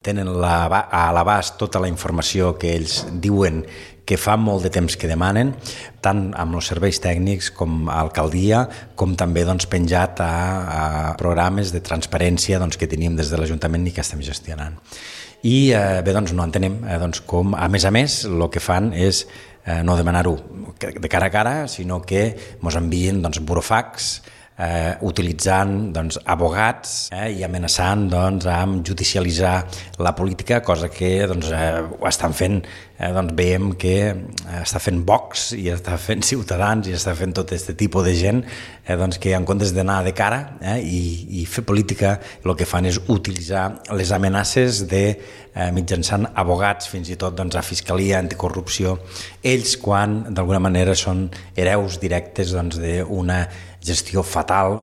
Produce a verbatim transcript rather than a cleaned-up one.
Tenen la, a l'abast tota la informació que ells diuen que fa molt de temps que demanen, tant amb els serveis tècnics com a alcaldia, com també doncs, penjat a, a programes de transparència doncs, que tenim des de l'Ajuntament i que estem gestionant. I eh, bé, doncs no entenem eh, doncs, com, a més a més, el que fan és eh, no demanar-ho de cara a cara, sinó que ens envien doncs, burofax, Eh, utilitzant doncs, abogats eh, i amenaçant doncs, amb judicialitzar la política, cosa que doncs, eh, ho estan fent, eh, doncs, veiem que eh, està fent Vox i està fent Ciutadans i està fent tot aquest tipus de gent eh, doncs, que en comptes d'anar de cara eh, i, i fer política, el que fan és utilitzar les amenaces de eh, mitjançant abogats, fins i tot doncs, a Fiscalia Anticorrupció, ells quan d'alguna manera són hereus directes doncs, d'una gestió fatal.